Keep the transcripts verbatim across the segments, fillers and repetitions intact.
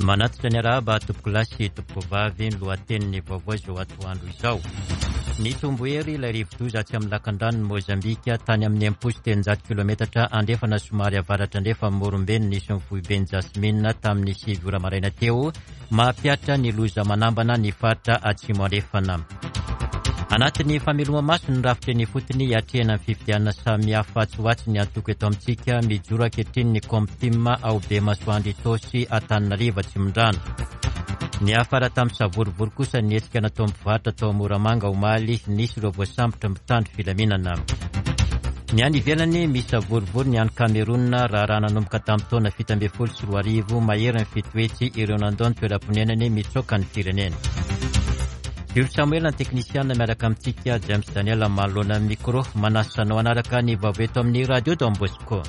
Manatitra ny arahaba tompokolahy sy tompokovavy, ny lohatenin'ny vaovao izao atoandro izao. Nitombo hery ilay rivodoza atsy amin'ny lakandranon'i Mozambika tany amin'ny enimpolo sy telonjato kilometatra andrefana somary avaratra andrefa Morombe no nisy ny foiben'i Jasmine tamin'ny sivy ora maraina teo, mampihatra ny loza manambana ny faritra atsimo andrefana. Anatin'ny fameloma-maso ny rafitra eny ifotony hiatrehana ny fifidianana samihafa tsy ho atsy ny antoko eto amintsika, mijoro ankehitriny ny Comtim ao Bemasoandro Itaosy Antananarivo Atsimondrano. Niafara tamin'ny savorovoro kosa ny hetsika nataon'ny mpivarotra tao Moramanga omaly, nisy ireo voasambotra mitandro filaminana. Ny any ivelany misy savorovoro ny any Cameroun, raharaha nanomboka tamin'ny taona fito ambin'ny folo sy roa arivo, mahery ny fito hetsy ireo nandao ny toeram-ponenany mitsoaka ny firenena. Jules Samuel ny teknisiana miaraka amintsika, James Daniel manoloana ny micro, manasa anao hanaraka ny vaovao eto amin'ny Radio Don Bosco.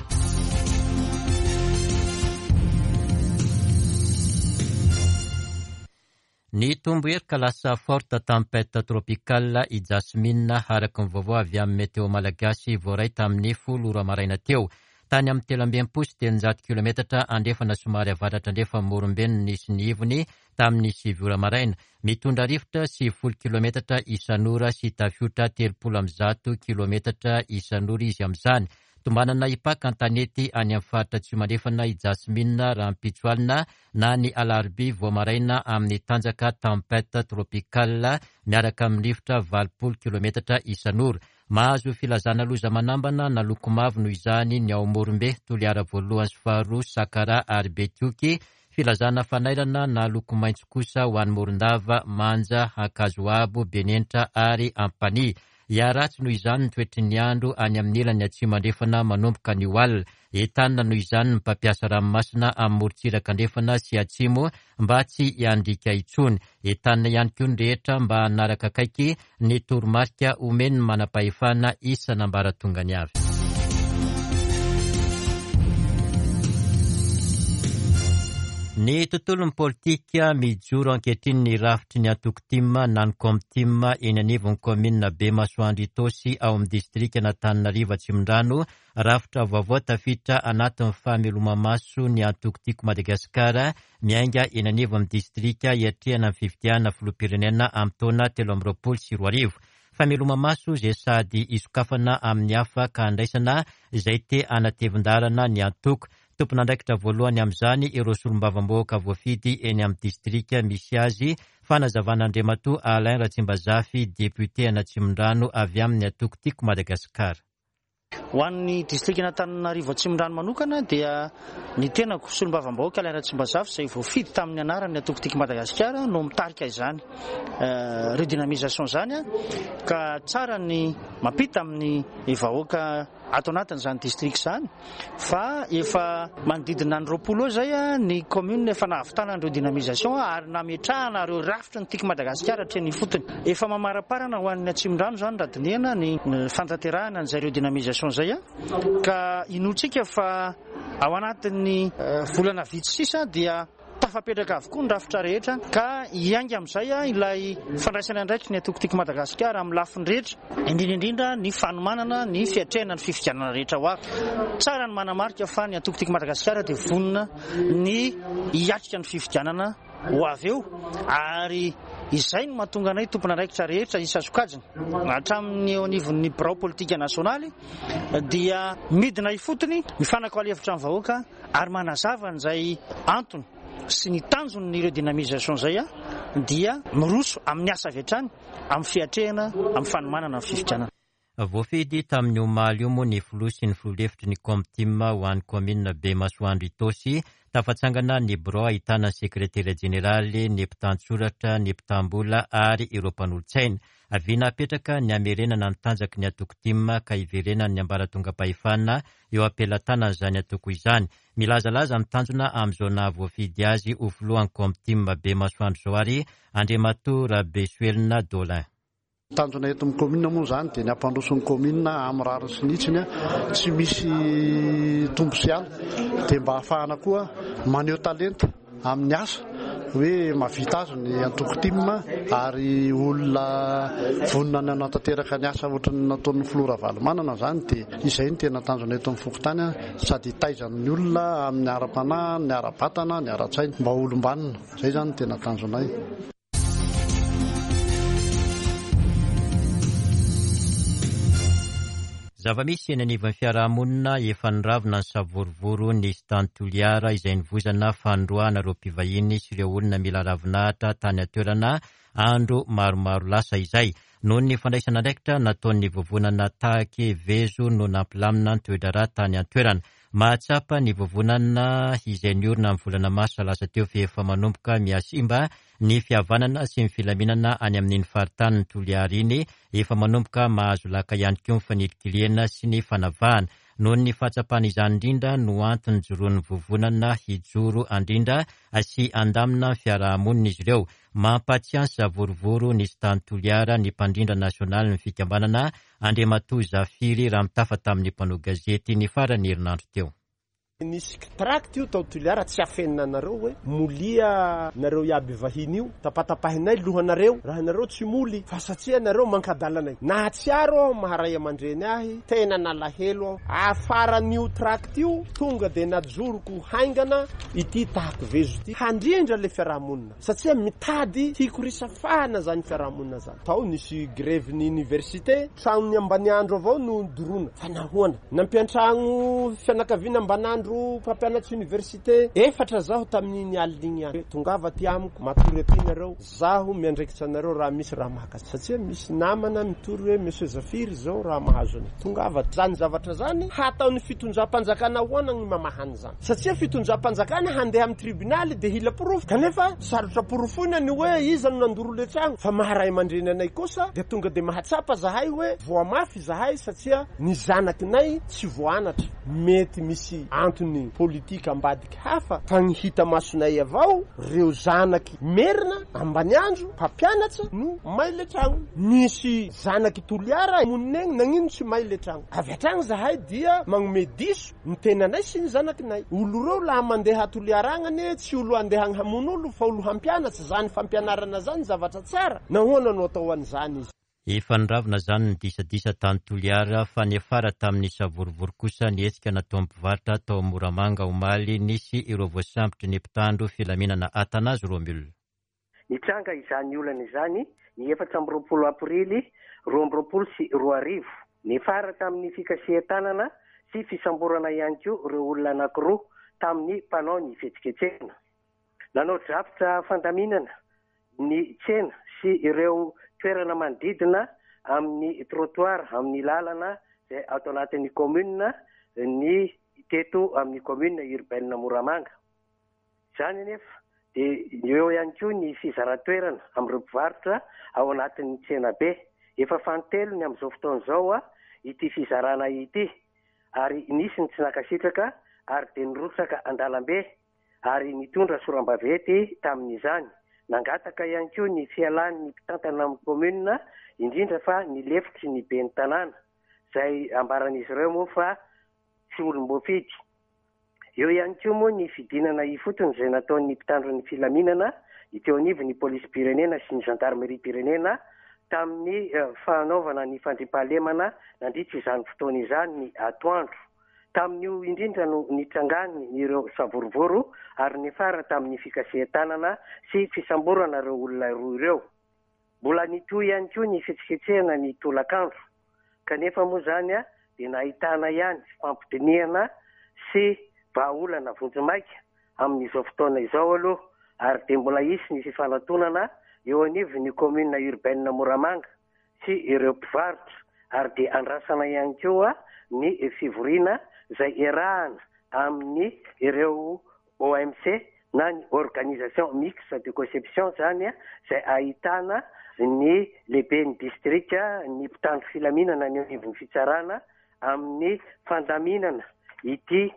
Nitombo hery ka lasa forte tempête tropicale i Jasmine araka ny vaovao avy amin'ny Météo Malagasy voaray tamin'ny folo ora maraina teo. Tany amin'ny telo amby enimpolo sy telonjato kilometatra andrefana somary avaratra andrefa Morombe no nisy ny ivony tamin'ny sivy ora maraina. Mitondra rivotra sivifolo kilometatra isan'ora sy tafiotra telopolo amby zato kilometatra isan'ora izy amin'izany. Tombanana hipaka an-tanety any amin'ny faritra atsimo andrefana i Jasmine rahampitso alina na ny alarobia vao maraina amin'ny tanjaka tempête tropicale miaraka amin'ny rivotra valopolo kilometatra isan'ora. Mahazo filazana loza manambana na loko mavo noho izany ny ao Morombe, Toliara voalohany sy faharoa, Sakara ary Betioky. Filazana fanairana na loko maitso kosa ho an'i Morondava, Manja, Ankazoabo, Benenitra ary Ampanihy. Hiharatsy noho izany ny toetry ny andro any amin'ny ilany atsimo andrefana manomboka anio alina. Entanina noho izany ny mpampiasa ranomasina amin'ny morontsiraka andrefana sy atsimo mba tsy hiandriaka intsony. Entanina ihany koa ny rehetra mba hanaraka akaiky ny toromarika omen'ny manam-pahefana isan'ambaratongany avy. Ny tontolon'ny politika mijoro ankehitriny ny rafitry ny antoko T I M na ny Comtim eny anivon'ny kaominina Bemasoandro Itaosy ao amin'ny distrikan'Antananarivo Atsimondrano. Rafitra vaovao tafiditra anatin'ny fameloma-maso ny antoko Tiako Madagasikara miainga eny anivon'ny distrika hiatrehana ny fifidianana filoham-pirenena amin'ny taona telo amby roapolo sy roa arivo. Fameloma-maso izay sady isokafana amin'ny hafa ka andraisana izay te hanatevin-dalana ny antoko. Tompon'andraikitra voalohany amin'izany ireo solombavambahoaka voafidy eny amin'ny distrika misy azy. Fanazavan'Andriamatoa Alain Ratsimbazafy, député an'Atsimondrano avy amin'ny antoko Tiako Madagasikara. Ho an'ny distrikan'Antananarivo Atsimondrano manokana dia ny tenako solombavambahoaka Alain Ratsimbazafy izay voafidy tamin'ny anaran'ny antoko Tiako Madagasikara no mitarika izany redynamisation izany, ka tsara ny mampita amin'ny vahoaka ato anatin'izany distrika izany fa efa manodidina ny roapolo eo izay ny commune efa nahavitana ny redynamisation ary nametrahana ireo rafitry ny Tiako Madagasikara hatreny ifotony. Efa mamaraparana ho an'ny Atsimondrano izany raha dinihana ny fanatanterahana an'izay redynamisation izay, ka inoantsika fa ao anatin'ny volana vitsy sisa dia tafapetraka avokoa ny rafitra rehetra, ka hiainga amin'izay ilay fandraisana andraikitry ny antoko Tiako Madagasikara amin'ny lafiny rehetra, indrindra indrindra ny fanomanana ny fiatrehana ny fifidianana rehetra ho avy. Tsara ny manamarika fa ny antoko Tiako Madagasikara dia vonona ny hiatrika ny fifidianana ho avy eo, ary izay no mahatonga anay tompon'andraikitra rehetra isan-sokajiny hatramin'ny eo anivon'ny birao politika nasionaly dia midina ifotony mifanakalo hevitra amin'ny vahoaka ary manazava an'izay antony sy ny tanjony redynamisation izay dia miroso amin'ny asa avy hatrany amin'ny fiatrehana amin'ny fanomanana ny fifidianana. Voafidy tamin'ny omaly io moa ny filoha sy ny filoha lefitry ny Comtim ho an'ny kaominina Bemasoandro Itaosy. Tafatsangana ny birao ahitana ny sekretera jeneraly, ny mpitantsoratra, ny mpitam-bola ary ireo mpanolotsaina. Vina apetraka ny hamerenana ny tanjaky ny antoko T I M ka hiverenan'ny ambaratongam-pahefana eo am-pelatanan'izany antoko izany. Milazalaza ny tanjona amin'izao nahavoafidy azy ho filohan'ny Comtim Bemasoandro izao ary Andriamatoa Rabesoelina Dolin. Tanjona eto amin'ny commune moa izany dia ny hampandroso ny commune amin'ny rariny sy ny hitsiny, tsy misy tombo sy ala, dia mba ahafahana koa maneho talenta amin'ny asa hoe mahavita azy ny antoko T I M ary olona vonona ny hanatanteraka ny asa ohatran'ny nataon'ny filoha Ravalomanana zany, dia izay no tena tanjona eto amin'ny fokontany, sady hitaizan'ny olona amin'ny ara-panahy, ny ara-batana, ny ara-tsaina mba ho olom-banona. Izay zany no tena tanjonay. Zava-misy eny anivon'ny fiarahamonina efa niravona ny savorovoro nisy tany Toliara izay nivozana fandroahana ireo mpivahiny sy ireo olona mila ravinahitra tany an-toerana andro maromaro lasa izay. Noho ny fandraisana andraikitra nataon'ny vovonana Tahaky Vezo no nampilamina ny toe-draharaha tany an-toerana. Mahatsapa ny vovonana izay niorina amin'ny volana marsa lasa teo fa efa manomboka mihasimba ny fihavanana sy ny filaminana any amin'iny faritanin'ny Toliara iny, efa manomboka mahazo laka ihany koa ny fanilikilihana sy ny fanavahana. Noho ny fahatsapana izany indrindra no antony joroan'ny vovonana hijoro andrindra sy handamina ny fiarahamonina izy ireo. Mampatsiahy savorovoro nisy tany Toliara ny mpandrindra nasionaly ny fikambanana Andriamatoa Zafiry raha mitafa tamin'ny mpanao gazety ny faran'ny herinandro teo. Nisy tract io tao Toliara tsy afenina anareo hoe molia nareo iaby vahiny io, tapatapahinay lohanareo raha nareo tsy moly fa satria nareo mankadalanay. Nahatsiaro aho maharay aman-dreny ahy, tena nalahelo aho. Afaran'io tract io tonga dia najoroko haingana ity Tahaky Vezo ity handrindra le fiarahamonina satria mitady hikorisafahana zany fiarahamonina zany. Tao nisy grève ny université, tranony ambaniandro avao no dorona fa nahoana nampiantragno fianakaviana ambanandro mpampianatry université efatra zaho tamin'iny alina igny ihany. Tongava aty amiko, matory aty nareo, zaho miandraikitra anareo raha misy raha mahakasika satria misy namana mitory hoe Monsieur Zafiry zao raha mahazo anay. Tongava zany zavatra zany hataon'ny fitondram-panjakana ahoana ny mamahany zany satria fitondram-panjakana handeha amin'ny tribunaly dia hila porofo kanefa sarotra porofoina ny hoe iza no nandoro le tragno fa maharay aman-dreny anay kosa dia tonga dia mahatsapa zahay hoe voamafy zahay satria ny zanakinay tsy voanatra. Mety misy antony politika ambadiky hafa fa ny hita masonay avao reo zanaky merina ambaniandro mpampianatra no may le tragno. Misy zanaky Toliara monina egny nagnino tsy may le tragno. Avy hatragny zahay dia magnome diso ny tenanay sy ny zanakinay. Olo reo laha mandeha Toliara agny anie tsy olo andeha hamono olo fa olo hampianatra. Zany fampianarana zany zavatra tsara, nahoana no atao an'izany izy? Efa niravona zany ny disadisa tany Toliara fa niafara tamin'ny savorovoro kosa ny hetsika nataon'ny mpivarotra tao Moramanga omaly nisy ireo voasambotry ny mpitandro filaminana Athanase Romule. Nitranga izany olana izany ny efatra amby roapolo aprily roa amby roapolo sy roa arivo. Niafara tamin'ny fikasihan-tanana sy fisamborana ihany koa ireo olona anankiroa tamin'ny mpanao ny fihetsiketsehana. Nanao drafitra fandaminana ny tsena sy ireo toerana manodidina amin'ny trottoir amin'ny lalana izay ato anatin'ny commune ny teto amin'ny commune urbaine Moramanga. Izany anefa dia eo ihany koa ny fizaran-toerana amin'ireo mpivarotra ao anatin'ny tsena be. Efa fanintelony amin'izao fotoana izao ity fizarana ity ary nisy ny tsy nankasitraka ary dia nirotsaka an-dalambe ary nitondra soram-baventy tamin'izany. Nangataka ihany koa ny fialan'ny mpitantana amin'ny commune, indrindra fa ny lefitry ny ben'ny tanàna izay ambaran'izy ireo moa fa tsy olom-boafidy. Eo ihany koa moa ny fidinana ifotony izay nataon'ny mpitandro ny filaminana teo anivon'ny polisim-pirenena sy ny gendarmerie-pirenena tamin'ny fanaovana ny fandriampahalemana nandritra izany fotoana izany ny atoandro. Tamin'io indrindra no nitrangany ireo savorovoro ary niafara tamin'ny fikasihan-tanana sy fisamborana ireo olona roa ireo. Mbola nitohy ihany koa ny fihetsiketsehana ny tolakandro kanefa moa zany dia nahitana ihany fampidinihana sy vahaolana vonjimaika amin'izao fotoana izao aloha ary dia mbola hisy ny fifanantonana eo anivon'ny commune urbaine Moramanga sy ireo mpivarotra ary dia andrasana ihany koa ny fivoriana izay iarahana amin'ny ireo O M C na ny organisation mixte de conception zany izay ahitana ny lehiben'ny distrika, ny mpitandro filaminana ny anivon'ny fitsarana amin'ny fandaminana ity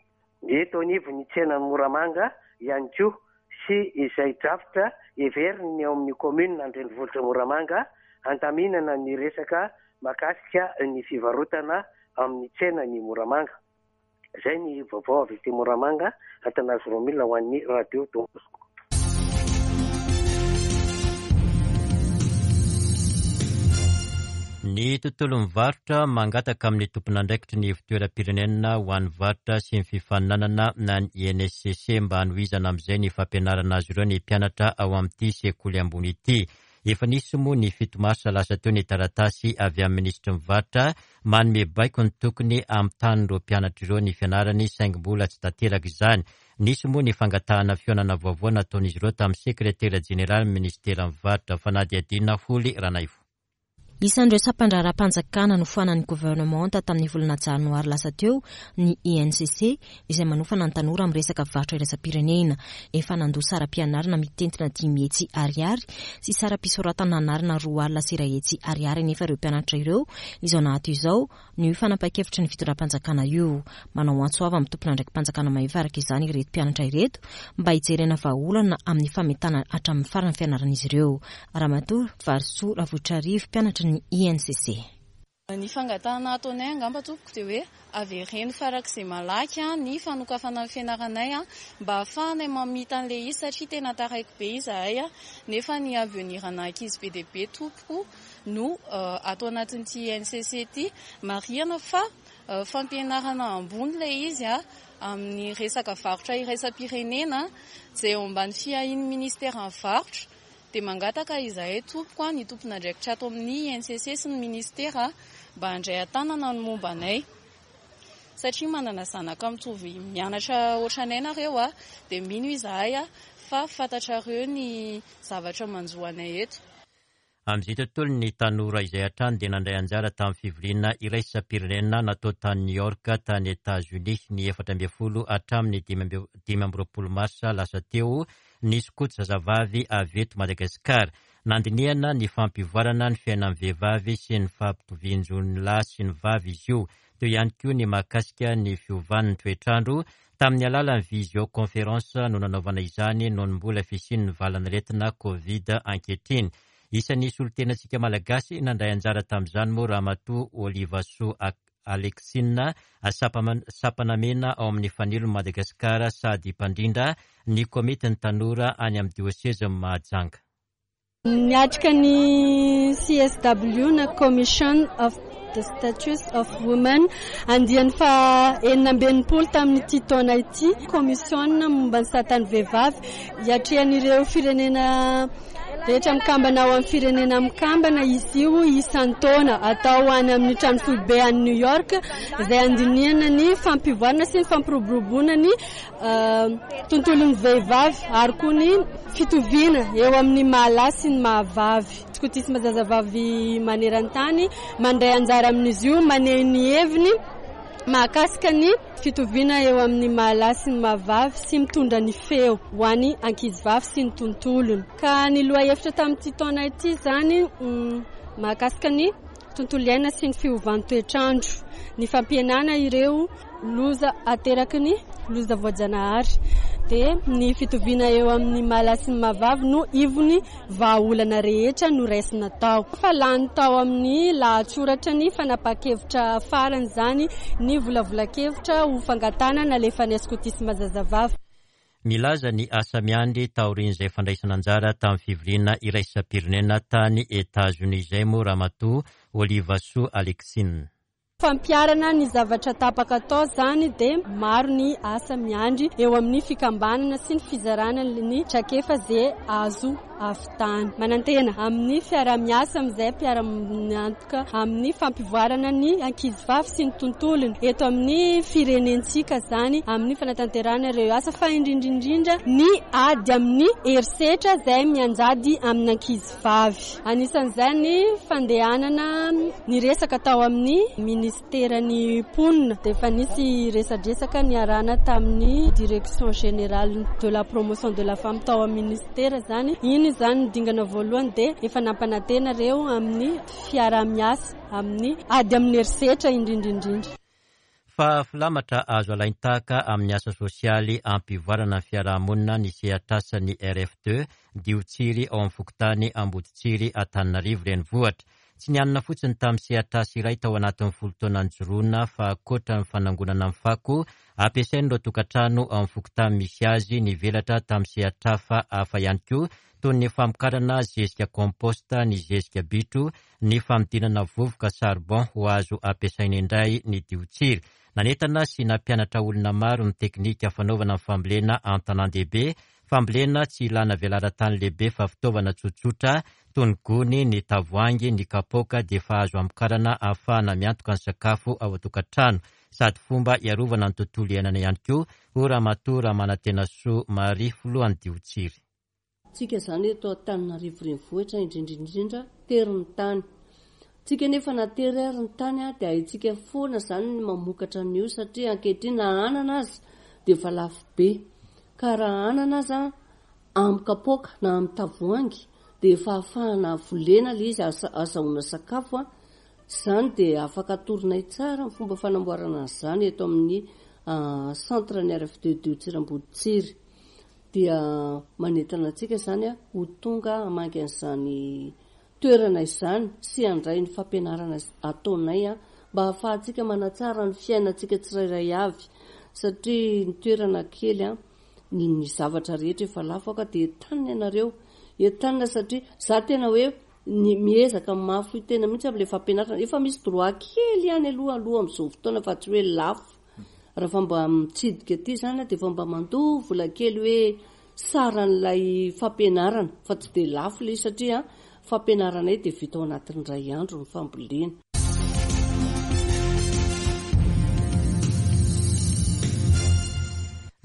eto anivon'ny tsenan'i Moramanga ihany koa sy izay drafitra heveriny eo amin'ny commune Andrenivohitra Moramanga handaminana ny resaka mahakasika ny fivarotana amin'ny tsenan'i Moramanga. Izay ny vaovao avy aty Moramanga, Athanase Romule ho an'ny Radio Don Bosco. Ny tontolon'ny varotra mangataka amin'ny tompon'andraikitry ny ivon-toeram-pirenena ho an'ny varotra sy ny fifaninanana na ny I N S C C mba hanohizana amin'izay ny fampianarana azy ireo ny mpianatra ao amin'ity sekoly ambony ity. Efa nisy moa ny fito marsa lasa teo ny taratasy avy amin'ny minisitry ny varotra manome baiko ny tokony hamintan'ireo mpianatra ireo ny fianarany, saingy mbola tsy tanteraka izany. Nisy moa ny fangatahana fihaonana vaovao nataon'izy ireo tamin'ny sekretera jeneraly ministeran'ny varotra fanadihadiana Holy Ranaivo. Isan'ireo sampan-draharaham-panjakana nofoanan'ny governemanta tamin'ny volana janoary lasa teo ny I N C C izay manofana ny tanora amin'ny resaka varotra iraisam-pirenena. Efa nandoa saram-pianarana mitentina dimy hetsy ariary sy saram-pisoratana anarana roa alina sy iray hetsy ariary anefa ireo mpianatra ireo izao nahato izao ny fanapahan-kevitry ny fitondram-panjakana io. Manao antso avo amin'ny tompon'andraiki-panjakana mahefa araka izany ireto mpianatra ireto mba hijerena vahaolana amin'ny fametana hatramin'ny faran'ny fianaran'izy ireo. Ramatoa Varisoa Ravoitrarivo, mpianatra ny I N C C. Ny fangatahana ataonay angamba tompoko dia hoe avereno farak'izay malaky ny fanokafana ny fianaranay mba ahafahanay mamita an'ilay izy satria tena taraiky be izahay, nefa ny avenir-na ankizy be dia be tompoko no ato anatin'ity I N C C ity. Marihana fa fampianarana ambony ilay izy amin'ny resaka varotra iraisam-pirenena izay eo ambany fiahian'ny ministeran'ny varotra. Dia mangataka izahay tompoko ny tompon'andraikitra ato amin'ny I N C C sy ny ministera mba handray an-tanana ny momba anay, satria manana zanaka mitovy mianatra ohatranay nareo a, dia mino izahay a fa fantatrareo ny zavatra manjo anay eto. Amin'izay tontolo ny tanora izay hatrany dia nandray anjara tamin'ny fivoriana iraisam-pirenena natao tany New York tany Etats-Unis ny efatra ambin'ny folo hatramin'ny dimy amby roapolo marsa lasa teo ny skoto zazavavy avy eto Madagasikara. Nandinihana ny fampivoarana ny fiainan'ny vehivavy sy ny fampitovian-jon'ny lahy sy ny vavy izy io. Teo ihany koa ny mahakasika ny fiovan'ny toetrandro tamin'ny alalan'ny visioconférence no nanaovana izany noho ny mbola fisian'ny valanaretina Covid ankehitriny. Isan'ny solontenantsika malagasy nandray anjara tamin'izany moa Ramatoa Olivasoa Alexina, sampanamena ao amin'ny fanilon'i Madagasikara sady mpandrindra ny komitin'ny tanora any amin'ny diosezin'i Mahajanga. Niatrika ny C S W na Commission of the Status of Women andiany fa enina amby enimpolo tamin'ity taona ity. Commission momba ny satan'ny vehivavy hiatrehan'ireo firenena rehetra mikambana ao amin'ny firenena mikambana izy io isan-taona atao any amin'ny trano foibe any New York izay andinihana ny fampivoarana sy ny fampiroboroboana ny tontolon'ny vehivavy ary koa ny fitoviana eo amin'ny mahalahy sy ny mahavavy. Skotisma zazavavy maneran-tany mandray anjara amin'izy io, maneho ny heviny mahakasika ny fitoviana eo amin'ny mahalahy sy ny mahavavy sy mitondra ny feo ho an'ny ankizivavy sy ny tontolony. Ka ny lohahevitra tamin'ity taona ity izany mahakasika ny tontolo iainana sy ny fiovan'ny toetrandro, ny fampihenana ireo loza ateraky ny loza voajanahary, dia ny fitoviana eo amin'ny mahalahy sy ny mahavavy no ivony vahaolana rehetra noraisina tao. Fa lany tao amin'ny lahatsoratra ny fanapahan-kevitra farany izany ny volavolan-kevitra ho fangatahana nalefan'ny skotisma zazavavy. Milaza ny asa miandry taorian'izay fandraisana anjara tamin'ny fivoriana iraisam-pirenena tany Etats-Unis izay moa Ramatoa Olivasoa Alexine. Fampiharana ny zavatra tapaka atao izany dia maro ny asa miandry eo amin'ny fikambanana sy ny fizarana ny traikefa izay azo avy tany. Manantena amin'ny fiaraha-miasa amin'izay mpiara-miantoka amin'ny fampivoarana ny ankizivavy sy ny tontolony eto amin'ny firenentsika izany amin'ny fanatanterahana ireo asa, fa indrindrindrindra ny ady amin'ny herisetra izay mianjady amin'ny ankizivavy. Anisan'izay ny fandehanana ny resaka tao amin'ny ministeran'ny mponina dia efa nisy resadresaka niarahana tamin'ny direction générale de la promotion de la femme tao amin'ny ministera izany. Iny izany ny dingana voalohany dia efa nampanantena ireo amin'ny fiaraha-miasa amin'ny ady amin'ny herisetra indrindrindrindra. Fa filamatra azo alain-tahaka amin'ny asa sosialy ampivoarana ny fiarahamonina ny sehatr'asan'ny R F deux Diotsiry ao amin'ny fokontany Amboditsiry Antananarivo renivohitra. Tsy nianina fotsiny tamin'ny sehatr'asa iray tao anatin'ny folo taona nijoroana fa ankoatra ny fanangonana ny fako ampiasain'ireo tokantrano ao amin'ny fokontany misy azy, nivelatra tamin'ny sehatr'asa hafa ihany koa toy ny famokarana zezika komposta, ny zezika bitro, ny fanodinana vovoka charbon ho azo ampiasaina indray ny diotsira. Nanentana sy nampianatra olona maro ny teknika fanaovana ny fambolena an-tanàn-dehibe, fambolena tsy ilana velaran-tany lehibe fa fitaovana tsotsotra toy ny gony, ny tavoahangy, ny kapoaka dia efa azo amokarana ahafahana miantoka ny sakafo ao an-tokantrano sady fomba hiarovana ny tontolo iainana ihany koa, hoy Ramatoa Ramanantenasoa Marie, filohan'ny Diotsiry. Tsika izany eto Antananarivo renivohitra indrindra indrindra tery ny tany. Tsika nefa na tery ary ny tany dia haintsika foana izany ny mamokatra an'io satria ankehitriny na anana aza dia efa lafo be. Ka raha anana aza amin'ny kapoaka na amin'ny tavoahangy dia efa ahafahana volena ilay izy ahazoana sakafo. Izany dia afaka atoronay tsara ny fomba fanamboarana an'izany eto amin'ny centre ny R F D Diotsira Amboditsiry. Dia manentana antsika izany ho tonga hamangy an'izany toerana izany sy handray ny fampianarana ataonay mba ahafahantsika manatsara ny fiainantsika tsirairay avy satria ny toerana kely ny zavatra rehetra efa lafo ka dia entanina ianareo, entanina satria za tena hoe ny miezaka mafy tena mihitsy amin'ilay fampianarana. Efa misy droit kely ihany aloha aloha amin'izao fotoana fa tsy hoe lafo. Raha mba mitsidika aty izany dia efa mba mandoa vola kely hoe saran'ilay fampianarana fa tsy dia lafo ilay izy satria fampianaranay dia vita ao anatin'ny iray andro ny fambolena.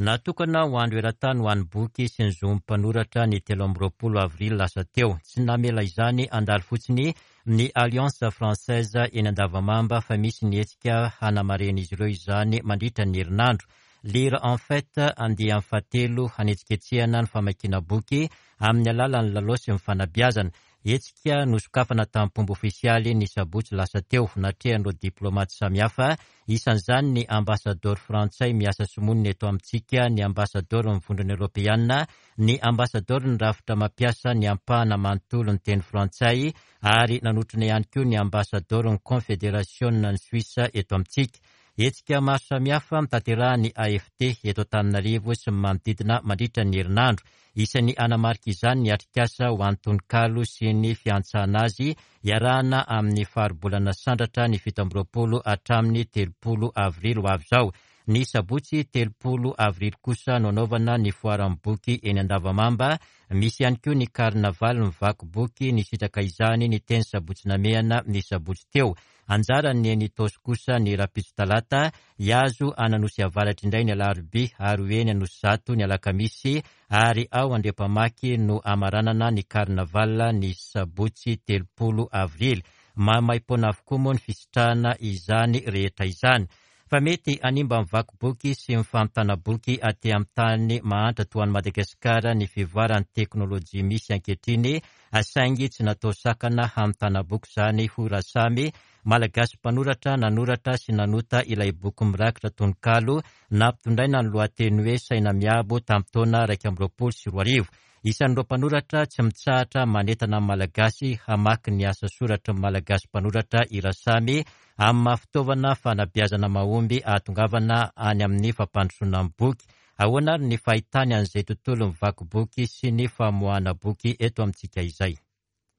Natokana ho andro eran-tany ho an'ny boky sy ny zon'ny mpanoratra ny telo amby roapolo avrily lasa teo. Tsy namela izany handalo fotsiny ny Alliance Française eny Andavamamba fa misy ny hetsika hanamaren'izy ireo izany mandritra ny herinandro. Lire en fête andiany fahatelo hanetsiketsehana ny famakiana boky amin'ny alalan'ny lalao sy ny fanabeazana. Hetsika nosokafana tamin'ny fomba ofisialy ny sabotsy lasa teo, natrehan'ireo diplomaty samihafa, isan'izany ny ambasadaoro frantsay miasa sy monina eto amintsika, ny ambasadaoro ny vondrona eoropeana, ny ambasadaoro ny rafitra mampiasa ny ampahana manontolo ny teny frantsay, ary nanotrona ihany koa ny ambasadaoro ny konfederasiona ny Suisse eto amintsika. Hetsika maro samihafa mitanterahan'ny A F T eto Antananarivo sy ny manodidina mandritra ny herinandro. Isan'ny hanamarika izany ny atrikasa ho an'ny tononkalo sy ny fiantsana azy iarahana amin'ny faribolana Sandratra ny fito amby roapolo hatramin'ny telopolo avrily ho avy izao. Ny sabotsy telopolo avrily kosa no anaovana ny foaran'ny boky eny Andavamamba. Misy ihany koa ny karnavaly mivaky boky nisitraka izany ny teny sabotsy namehana ny sabotsy teo. Anjarany eny Itaosy kosa ny rahampitso talata, hiazo an'Anosy Avaratra indray ny alarobia ary ho eny Anosizato ny alakamisy ary ao Andriampamaky no hamaranana ny karnaval ny sabotsy telopolo avrily. Maimaimpoana avokoa moa ny fisitrahana izany rehetra izany. Fa mety hanimba ny vaky boky sy ny fanontana boky aty amin'ny tany mahantra toa an'i Madagasikara ny fivoaran'ny teknôlôjia misy ankehitriny, saingy tsy natao sakana hanontana boky izany, hoy Rasamy, Malagasy mpanoratra nanoratra sy nanota ilay boky mirakitra tononkalo nampitondraina ny lohateny hoe Saina Miabo tamin'ny taona iraika amby roapolo sy roa arivo. Isan'ireo mpanoratra tsy mitsahatra manentana ny Malagasy hamaky ny asa soratry ny Malagasy mpanoratra i Rasamy amin'ny maha fitaovana fanabeazana mahomby ahatongavana any amin'ny fampandrosoana ny boky. Ahoana ary ny fahitany an'izay tontolo mivaky boky sy ny famoahana boky eto amintsika izay?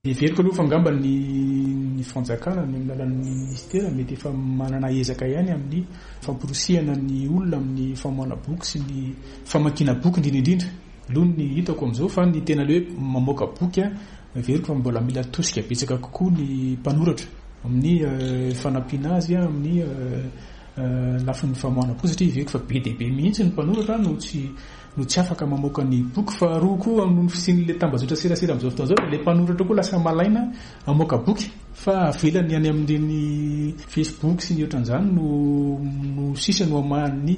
Heveriko aloha fa angamba ny, ny fanjakana ny amin'ny alalan'ny ministera mety efa manana ezaka ihany amin'ny famporisihana ny olona amin'ny famoahana boky sy ny famakiana boky indrindra indrindra. Aloha ny hitako amin'izao fa ny tena hoe mamoaka boky a, heveriko fa mbola mila tosika betsaka kokoa ny mpanoratra amin'ny fanampiana azy amin'ny lafiny famoahana boky satria heveriko fa be dia be mihitsy ny mpanoratra no tsy no tsy afaka mamoaka ny boky. Faharoa koa noho ny fisian'ilay tambajotra serasera amin'izao fotoana izao dia ilay mpanoratra koa lasa malaina hamoaka boky fa avelany any amin'ireny Facebook sy ny ohatran'izany no, no sisa no hamahan'ny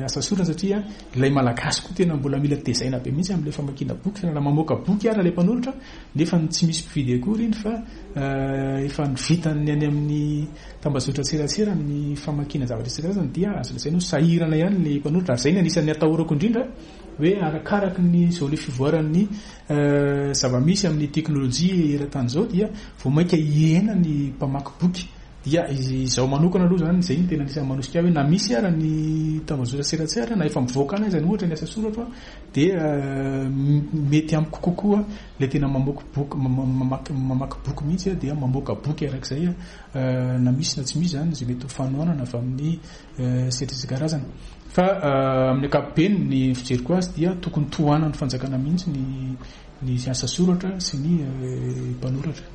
asa soratra satria ilay Malagasy koa tena mbola mila tezaina be mihitsy amin'ilay famakiana boky. Fa raha mamoaka boky ary ilay mpanoratra nefa tsy misy mpividy akory iny fa efa nivitany any amin'ny tambajotra serasera amin'ny famakiana zavatra isan-karazany dia azo lazaina ho sahirana ihany ilay mpanoratra. Ary izay no anisan'ny atahorako indrindra hoe arakaraky ny izao le fivoaran'ny zava-misy amin'ny teknolojia eran-tany izao dia vao mainka hihena ny mpamaky boky. Dia izao manokana aloha zany izay no tena anisan'ny manosika hoe na misy ara ny tambazotra serasera na efa mivoaka any aza ny ohatra ny asa soratra dia mety amiko kokoa ilay tena mamoaka boky, mamaky mamaky boky mihitsy dia mamoaka boky arak'izay na misy na tsy misy zany izay mety ho fanohanana avy amin'ny sehatra isan-karazany. Fa amin'ny ankapobeny ny fijeriko azy dia tokony tohanan'ny fanjakana mihitsy ny ny asa soratra sy ny mpanoratra.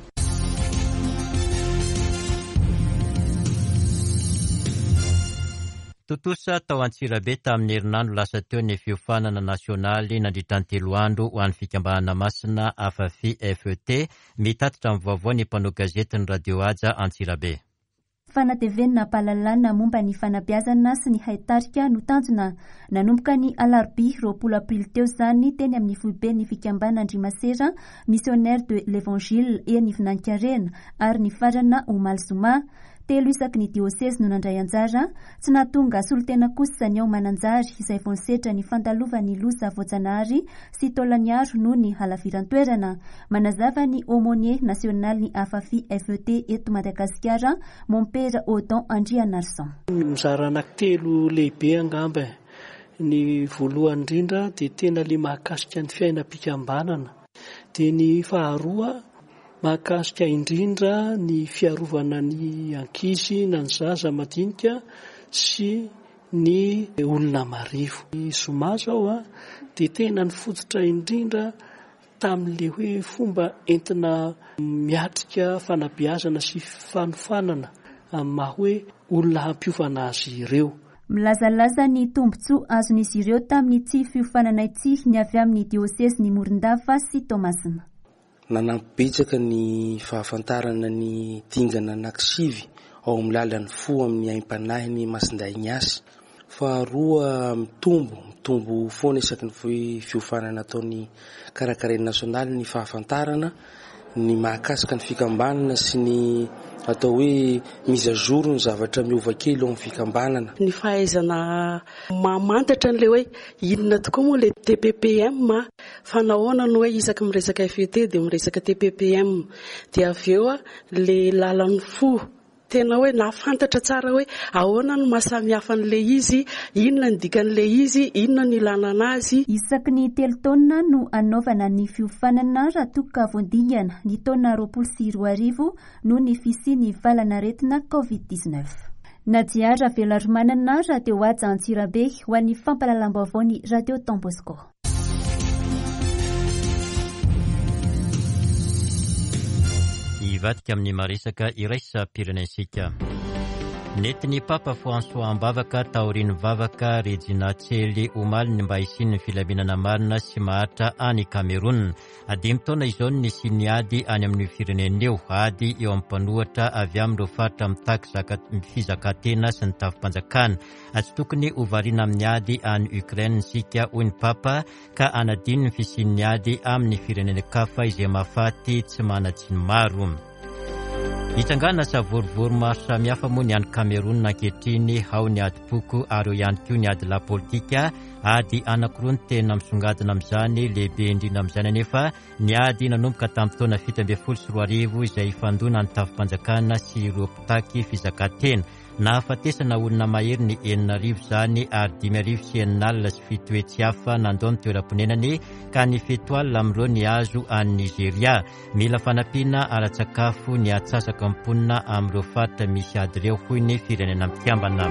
Tontosa tao Antsirabe tamin'ny herinandro lasa teo ny fiofanana nasionaly nandritra ny telo andro ho an'ny fikambanana masina AFAFI F E T. Mitatitra amin'ny vaovao ny mpanao gazety ny Radio Haja Antsirabe. Fanatevenina am-pahalalana momba ny fanabeazana sy ny haitarika no tanjona. Nanomboka ny alarobia roapolo aprily teo izany teny amin'ny foiben'ny fikambanana Andrimasera Missionnaire de l'Evangile eny Vinankarena ary ny farana omaly zoma. Telo isaky ny diôsezy no nandray anjara, tsy nahatonga solontena kosa ny ao Mananjary izay vao nisetra ny fandalovan'ny loza voajanahary sy taolaniaro noho ny halaviran-toerana. Manazava ny aumônier nasionaly ny AFAFI F E T eto Madagasikara, Mompera Odon Andrianarison. Mizara anankitelo lehibe angamba. Ny voalohany indrindra dia tena le mahakasika ny fiainam-pikambanana. Dia ny faharoa mahakasika indrindra ny fiarovana ny ankizy na ny zaza madinika sy ny olona marivo. Ny zoma zao a dia tena nifototra indrindra tamin'ilay hoe fomba entina miatrika fanabeazana sy fanofanana amin'ny maha hoe olona hampiofana azy ireo. Milazalaza ny tombontsoa azon'izy ireo tamin'ny tsy fiofanana ity ny avy amin'ny diosezin'i Morondava sy Toamasina. Nanampy betsaka ny fahafantarana ny dingana anankisivy ao amin'ny lalan'ny fo amin'ny aim-panahin'ny Masindahy Ignace. Faharoa, mitombo, mitombo foana isaky ny fi-, fiofanana ataon'ny karakarain'ny nasionaly ny fahafantarana ny mahakasika ny fikambanana sy ny atao hoe mise à jour ny zavatra miova kely ao amin'ny fikambanana. Ny fahaizana mamantatra an'ilay hoe inona tokoa moa ilay T P P M, fa nahoana no hoe isaky miresaka F E T dia miresaka T P P M, dia avy eo ilay lalan'ny fo tena hoe nahafantatra tsara hoe ahoana no mahasamihafa an'ilay izy, inona ny dikan'ilay izy, inona ny ilana anazy. Isaky ny telo taona no anaovana ny fiofanana raha toa ka voadingana ny taona roapolo sy roa arivo noho ny fisian'ny valanaretina covid dix-neuf. Nadia Raveloarimanana, Radio Haja Antsirabe, ho an'ny fampahalalam-baovao ny Radio Don Bosco. Hivadika amin'ny maresaka iraisam-pirenentsika. Nentin'ny Papa François am-bavaka taorian'ny vavaka Regina Coeli omaly ny mba hisian'ny filaminana marina sy maharitra any Cameroun. Dimy taona izao no nisian'ny ady any amin'io firenena io, ady eo amin'ny mpanohitra avy amin'ireo faritra mitaky zaka-, fizakantena sy ny tafim-panjakana. Tsy tokony ho variana amin'ny ady any Ukraine isika, hoy ny Papa, ka hanadino ny fisian'ny ady amin'ny firenena hafa izay mahafaty tsy manan-tsiny maro. Hitsangana savorovoro maro samihafa moa ny any Cameroun ankehitriny, ao ny ady-poko ary eo ihany koa ny ady lahy politika. Ady anankiroa no tena misongadina amin'izany, lehibe indrindra amin'izany anefa ny ady nanomboka tamin'ny taona fito ambin'ny folo sy roa arivo izay ifandona ny tafim-panjakana sy ireo mpitaky fizakantena. Nahafatesana olona mahery ny enina arivo izany ary dimy arivo sy enina alina sy fito hetsy hafa nandao ny toeram-ponenany ka ny fito alina amin'ireo ny azo any Nigeria. Mila fanampiana ara-tsakafo ny atsasaka mponina amin'ireo faritra misy ady ireo, hoy ny firenena mikambana.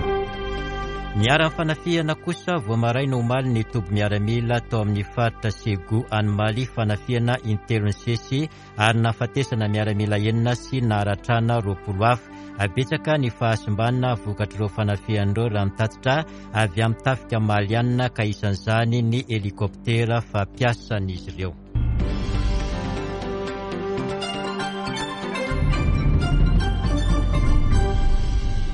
Niharan'ny fanafihana kosa vao maraina omaly ny toby miaramila tao amin'ny faritra Segu any Mali, fanafihana intelo nisesy ary nahafatesana miaramila enina sy naharatrana roapolo hafa. Betsaka ny fahasimbana vokatr'ireo fanafihana ireo raha mitatitra avy amin'ny tafika malianina ka isan'izany ny helikoptera fampiasan'izy ireo.